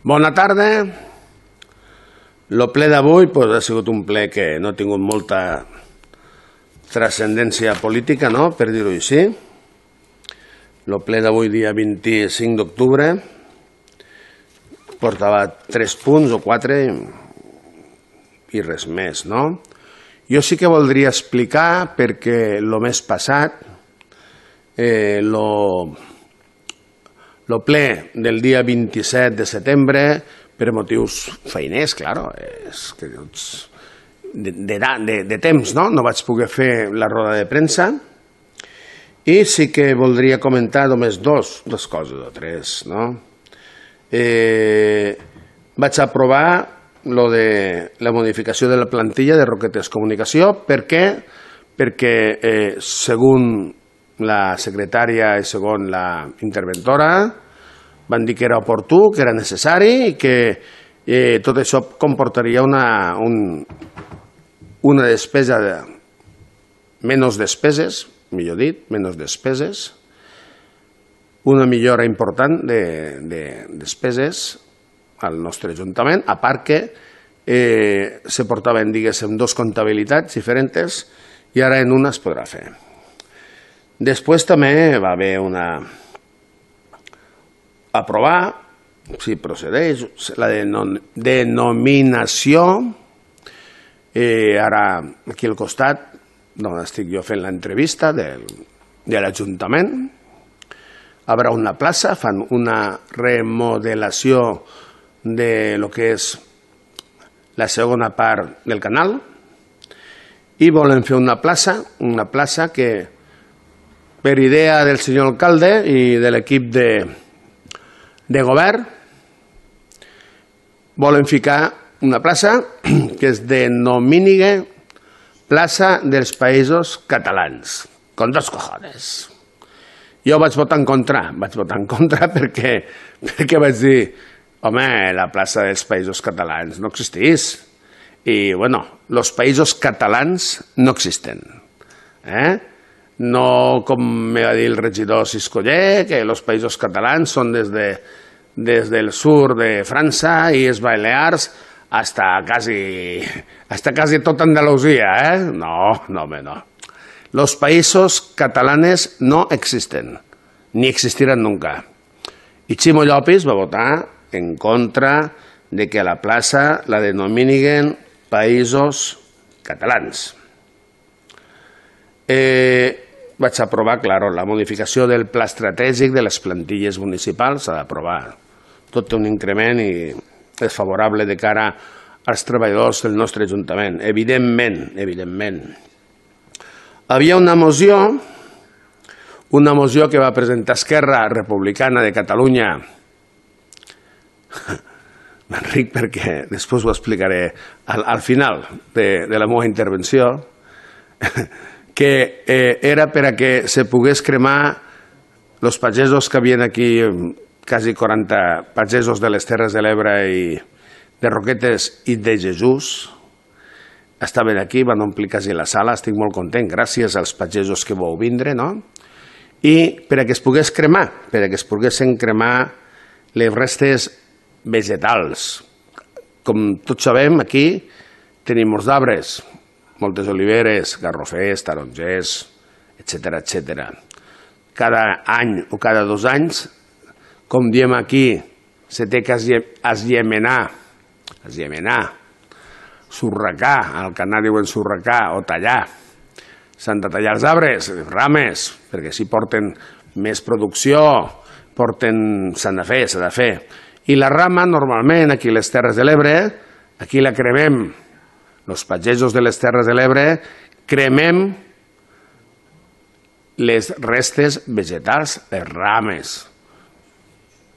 Bona tarda. El ple d'avui ha sigut un ple que no ha tingut molta transcendència política, per dir-ho així. El ple d'avui, dia 25 d'octubre, portava 3 punts o 4 i res més. Jo sí que voldria explicar perquè el mes passat, el ple del dia 27 de setembre, per motius feiners, clar, de temps, no vaig poder fer la roda de premsa, i sí que voldria comentar només dues coses o tres. Vaig aprovar la modificació de la plantilla de Roquetes Comunicació. Per què? Perquè, segons la secretària i segons la interventora, van dir que era oportú, que era necessari i que tot això comportaria una despesa, menys despeses, millor dit, menys despeses, una millora important de despeses al nostre Ajuntament, a part que se portaven, diguéssim, dos comptabilitats diferents i ara en una es podrà fer. Després també va haver aprovar, si procedeix, la denominació, ara aquí al costat, on estic jo fent l'entrevista de l'Ajuntament, haurà una plaça, fan una remodelació de lo que és la segona part del canal i volen fer una plaça que per idea del senyor alcalde i de l'equip de govern volen ficar una plaça que es denomini plaça dels Països Catalans, con dos cojones. Jo vaig votar en contra perquè vaig dir, home, la plaça dels Països Catalans no existís. I, bueno, los Països Catalans no existen. No, com me va dir el regidor Siscoller, que els Països Catalans són des del sur de França i les Balears hasta casi tota Andalusia, No, home, no. Los Països Catalanes no existen, ni existirán nunca. I Ximo Llopis va votar en contra de que a la plaça la denominen Països Catalans. Vaig aprovar, clar, la modificació del pla estratègic de les plantilles municipals, s'ha d'aprovar. Tot té un increment i és favorable de cara als treballadors del nostre Ajuntament, evidentment. Havia una moció que va presentar Esquerra Republicana de Catalunya. M'enric perquè després ho explicaré al final de la meva intervenció, que era per a que se pogués cremar els pagesos que havien aquí, quasi 40 pagesos de les Terres de l'Ebre i de Roquetes i de Jesús, estaven aquí, van omplir quasi la sala, estic molt content, gràcies als pagesos que vau vindre, i per a que es poguessin cremar les restes vegetals. Com tots sabem, aquí tenim molts arbres, moltes oliveres, garrofers, tarongers, etc. Cada any o cada 2 anys, com diem aquí, se té que esllemenar, surracar, al canà diuen surracar o tallar. S'han de tallar els arbres, les rames, perquè així porten més producció, s'ha de fer. I la rama, normalment, aquí a les Terres de l'Ebre, aquí la cremem. Els pagesos de les Terres de l'Ebre cremem les restes vegetals, les rames.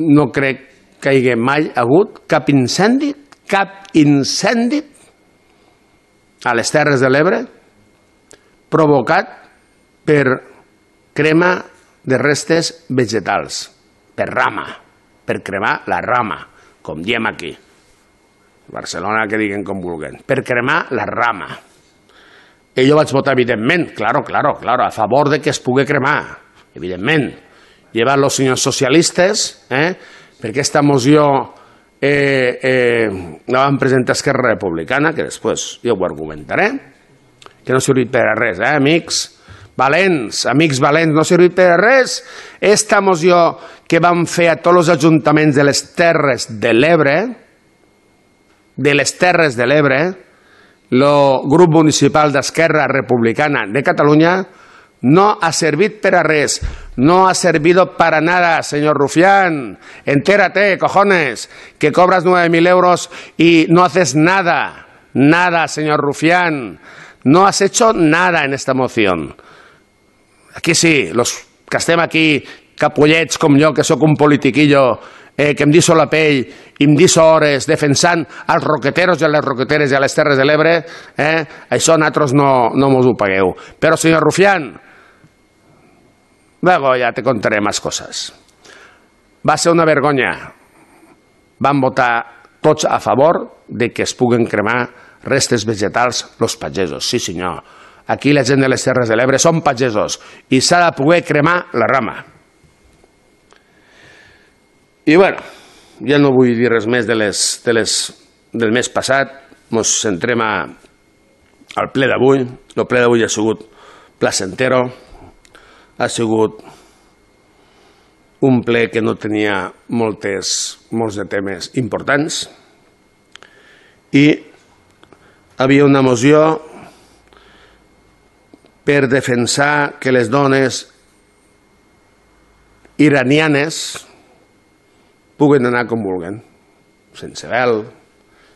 No crec que hi hagi mai hagut cap incendi a les Terres de l'Ebre provocat per crema de restes vegetals, per rama, per cremar la rama, com diem aquí. Barcelona, que diguen com vulguen, per cremar la rama. I jo vaig votar, evidentment, claro, a favor de que es pugui cremar, evidentment. Llevan los senyors socialistes, perquè aquesta moció la van presentar Esquerra Republicana, que després jo ho argumentaré, que no ha servit per a res, amics valents, no ha servit per a res. Esta moció que van fer a tots els ajuntaments de les Terres de l'Ebre, el grup municipal d'Esquerra Republicana de Catalunya, no ha servit per a res, no ha servido para nada, señor Rufián. Entérate, cojones, que cobras 9.000 euros y no haces nada, señor Rufián. No has hecho nada en esta moción. Aquí sí, los que estem aquí, capullets com jo, que sóc un politiquillo, que em deixo la pell i em deixo hores defensant els roqueteros i les roqueteres i a les Terres de l'Ebre, això nosaltres no mos ho pagueu. Però, senyor Rufián, luego ya te contaré más cosas. Va ser una vergonya. Van votar tots a favor de que es puguen cremar restes vegetals los pagesos. Sí, senyor. Aquí la gent de les Terres de l'Ebre són pagesos i s'ha de poder cremar la rama. I bueno, ja no vull dir res més del mes passat. Ens centrem al ple d'avui. El ple d'avui ha sigut placentero. Ha sigut un ple que no tenia molts de temes importants i havia una moció per defensar que les dones iranianes puguen anar com vulguen, sense vel,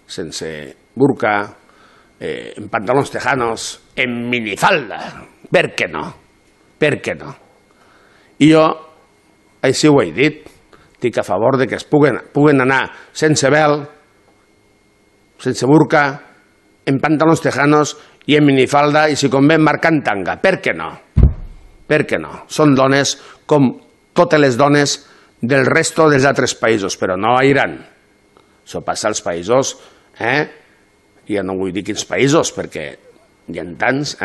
sense burka, en pantalons tejanos, en minifalda. Per què no? Per què no? I jo així ho he dit. Estic a favor de que es puguen anar sense vel, sense burka, en pantalons tejanos i en minifalda i si convé marcant tanga. Per què no? Per què no? Són dones com totes les dones del resto dels altres països, però no a Iran. Això passa als països, ja no vull dir quins països, perquè hi ha tants,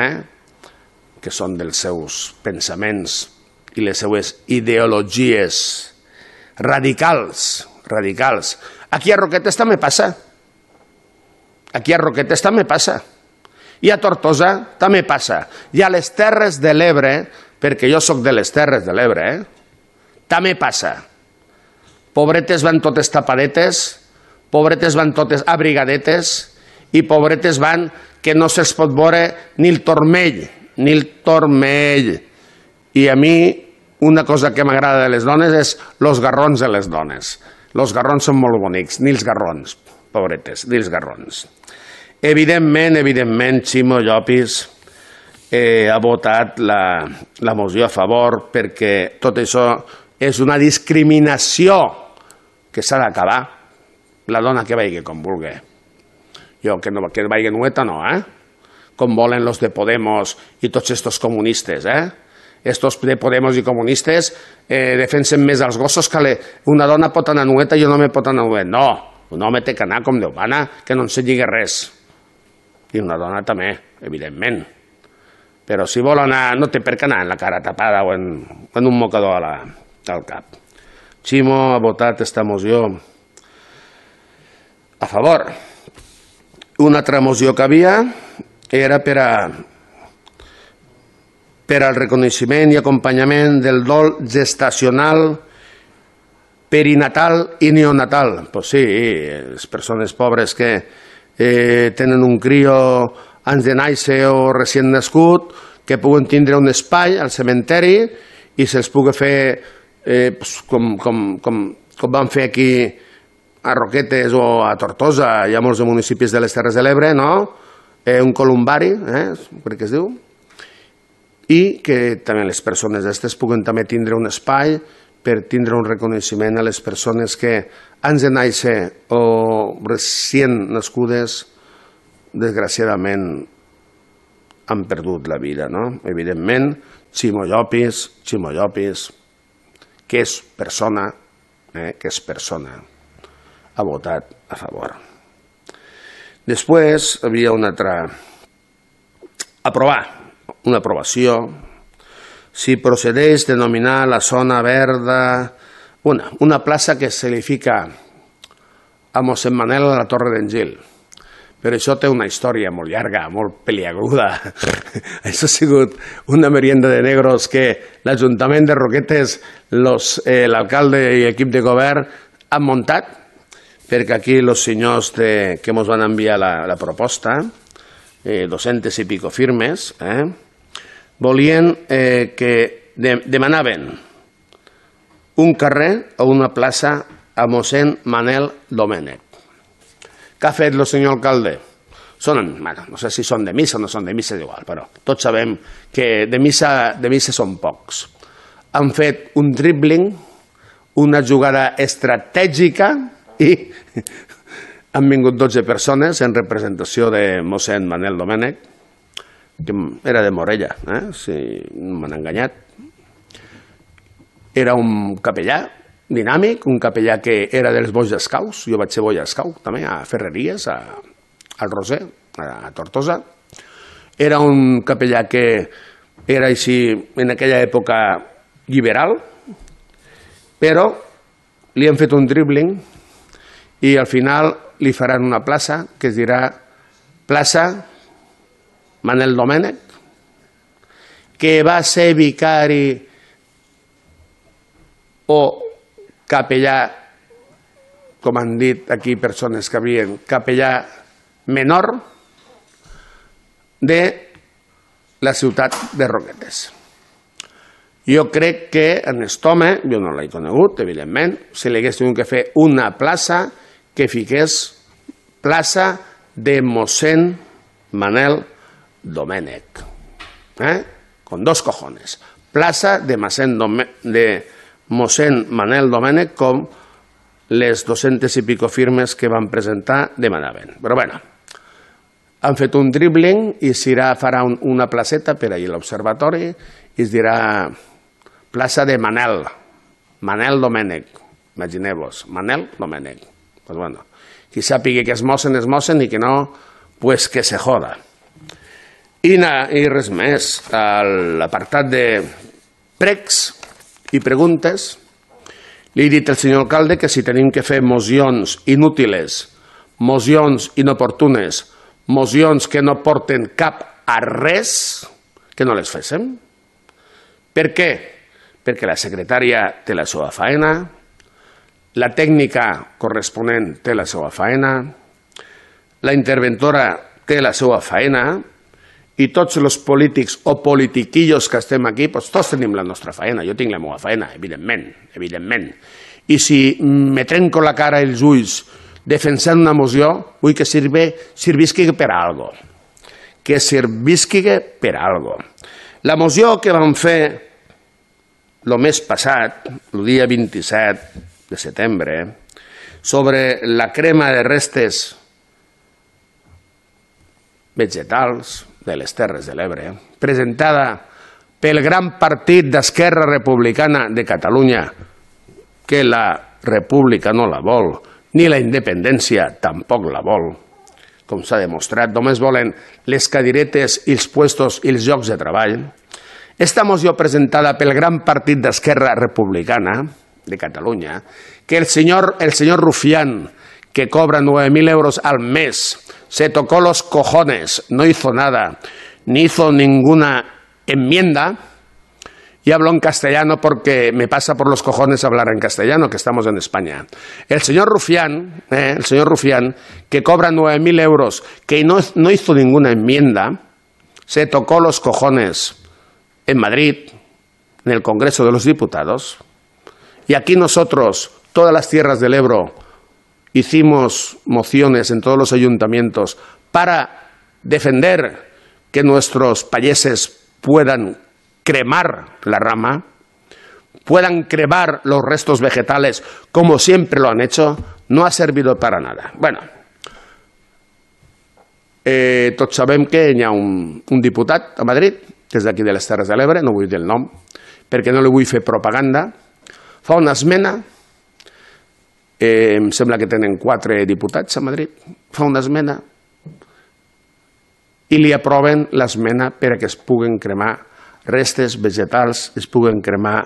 que són dels seus pensaments i les seues ideologies radicals. Aquí a Roquetes també passa. I a Tortosa també passa. I a les Terres de l'Ebre, perquè jo sóc de les Terres de l'Ebre, també passa. Pobretes van totes tapadetes, pobretes van totes abrigadetes i pobretes van que no se'ls pot veure ni el turmell. I a mi una cosa que m'agrada de les dones és los garrons de les dones. Los garrons són molt bonics, ni els garrons, pobretes, ni els garrons. Evidentment, Ximo Llopis ha votat la moció a favor perquè tot això és una discriminació que s'ha d'acabar. La dona que vagi com vulgui. Jo que vagi nueta no, com volen los de Podemos i tots estos comunistes, Estos de Podemos i comunistes defensen més els gossos que una dona pot anar nueta i un home pot anar nuet. No, un home té que anar com Déu mana, que no ensenyi res. I una dona també, evidentment. Però si vol anar, no té per què anar en la cara tapada o en un mocador al cap. Ximo ha votat esta moció a favor. Una altra moció que havia era per al reconeixement i acompanyament del dol gestacional, perinatal i neonatal. Pues sí, les persones pobres que tenen un crio abans de néixer o recient nascut, que puguen tindre un espai al cementeri i se'ls pugui fer com van fer aquí a Roquetes o a Tortosa, hi ha molts municipis de les Terres de l'Ebre, no? Un columbari, crec que es diu, i que també les persones aquestes puguen també tindre un espai per tindre un reconeixement a les persones que abans de néixer o recient nascudes, desgraciadament, han perdut la vida, no? Evidentment, Ximo Llopis, que és persona, ha votat a favor. Després havia una altra... una aprovació. Si procedeix denominar la zona verda una plaça que se li fica a mossèn Manel a la Torre d'en Gil. Però això té una història molt llarga, molt peliaguda. Això ha sigut una merienda de negros que l'Ajuntament de Roquetes, l'alcalde i l'equip de govern han muntat, perquè aquí els senyors que ens van enviar la proposta, 200 i pico firmes, volien que demanaven un carrer o una plaça a mossèn Manel Domènech. Què ha fet el senyor alcalde? No sé si són de missa o no són de missa, és igual, però tots sabem que de missa són pocs. Han fet un dribbling, una jugada estratègica i han vingut 12 persones en representació de mossèn Manel Domènech, que era de Morella, si no m'han enganyat. Era un capellà dinàmic, un capellà que era dels Boys Scouts, jo vaig ser Boy Scout també, a Ferreries, al Roser, a Tortosa. Era un capellà que era així en aquella època liberal, però li han fet un dribbling i al final li faran una plaça que es dirà plaça Manel Domènech, que va ser vicari o capellà, com han dit aquí persones que havien, capellà menor de la ciutat de Roquetes. Jo crec que en aquest home, jo no l'he conegut, evidentment, si li hagués tingut que fer una plaça que fiqués plaça de mossèn Manel Domènech. Con dos cojones. Plaça de mossèn Manel Domènech, com les 200 i pico firmes que van presentar demanaven. Però bueno, han fet un dribbling i farà una placeta per allà a l'observatori i es dirà plaça de Manel Domènech. Imagineu-vos, Manel Domènech. Pues bueno, qui sàpiga que es mossen i que no, pues que se joda. I res més, a l'apartat de pregs i preguntes, li he dit al senyor alcalde que si tenim que fer mocions inútiles, mocions inoportunes, mocions que no porten cap a res, que no les féssim. Per què? Perquè la secretària té la seva faena, la tècnica corresponent té la seva faena, la interventora té la seva faena, i tots els polítics o politiquillos que estem aquí, doncs tots tenim la nostra feina. Jo tinc la meva feina, evidentment. I si me trenco la cara i els ulls defensant una moció, vull que servisqui per a algo. Que servisqui per a algo. La moció que vam fer el mes passat, el dia 27 de setembre, sobre la crema de restes vegetals de les Terres de l'Ebre, presentada pel gran partit d'Esquerra Republicana de Catalunya, que la república no la vol, ni la independència tampoc la vol, com s'ha demostrat, només volen les cadiretes i els puestos i els llocs de treball. Esta moció presentada pel gran partit d'Esquerra Republicana de Catalunya, que el señor Rufián, que cobra 9.000 euros al mes, se tocó los cojones, no hizo nada, ni hizo ninguna enmienda, y hablo en castellano porque me pasa por los cojones hablar en castellano, que estamos en España. El señor Rufián, que cobra 9.000 euros, que no hizo ninguna enmienda, se tocó los cojones en Madrid, en el Congreso de los Diputados, y aquí nosotros, todas las tierras del Ebro, hicimos mociones en todos los ayuntamientos para defender que nuestros payeses puedan cremar la rama, puedan cremar los restos vegetales como siempre lo han hecho, no ha servido para nada. Bueno, tots sabem que hi ha un diputat a Madrid, que és d'aquí de les Terres de l'Ebre, no vull dir el nom, perquè no li vull fer propaganda, fa una esmena. Em sembla que tenen 4 diputats a Madrid, fa una esmena i li aproven l'esmena perquè es puguen cremar restes vegetals, es puguen cremar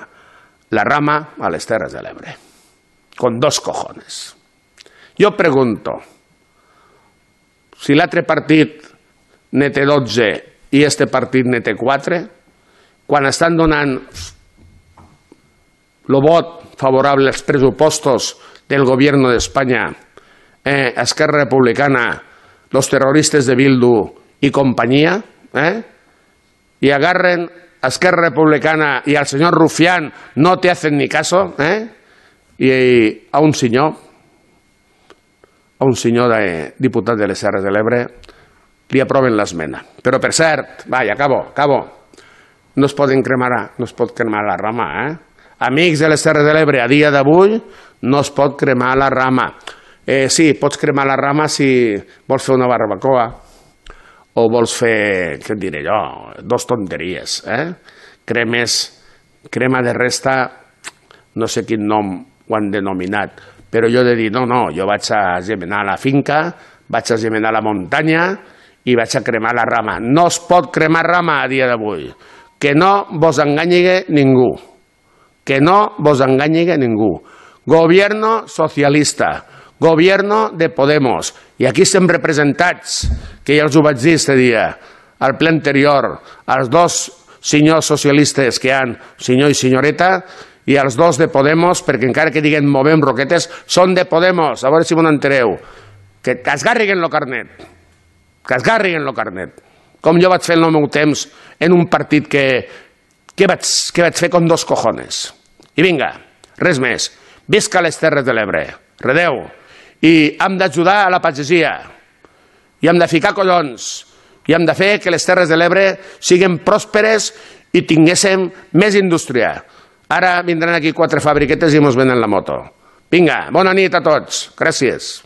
la rama a les Terres de l'Ebre. Con dos cojones. Jo pregunto, si l'altre partit ne té 12 i este partit ne té 4, quan estan donant el vot favorable als pressupostos del govern d'Espanya, Esquerra Republicana, los terroristes de Bildu i companyia, y agarren a Esquerra Republicana y al señor Rufián, no te hacen ni caso, y a un senyor diputat de les Terres de l'Ebre, li aproven l'esmena. Però, per cert, acabo, no es pot cremar la rama, Amics de les Terres de l'Ebre, a dia d'avui no es pot cremar la rama. Sí, pots cremar la rama si vols fer una barbacoa o vols fer, què et diré jo, 2 tonteries. Crema de resta, no sé quin nom ho han denominat, però jo he de dir, no, jo vaig a gemenar la finca, vaig a gemenar la muntanya i vaig a cremar la rama. No es pot cremar rama a dia d'avui. Que no vos enganyi ningú. Que no vos enganyi ningú. Gobierno socialista, gobierno de Podemos. I aquí estem representats, que ja els ho vaig dir este dia, al ple anterior, els 2 senyors socialistes que hi ha, senyor i senyoreta, i els 2 de Podemos, perquè encara que diguen movem roquetes, són de Podemos, a veure si m'ho entereu. Que esgarriguen el carnet. Que esgarriguen el carnet. Com jo vaig fer en el meu temps en un partit que vaig fer con 2 cojones. I vinga, res més. Visca les Terres de l'Ebre. Redeu. I hem d'ajudar a la pagesia. I hem de ficar collons. I hem de fer que les Terres de l'Ebre siguin pròsperes i tinguéssim més indústria. Ara vindran aquí 4 fabriquetes i mos venen la moto. Vinga, bona nit a tots. Gràcies.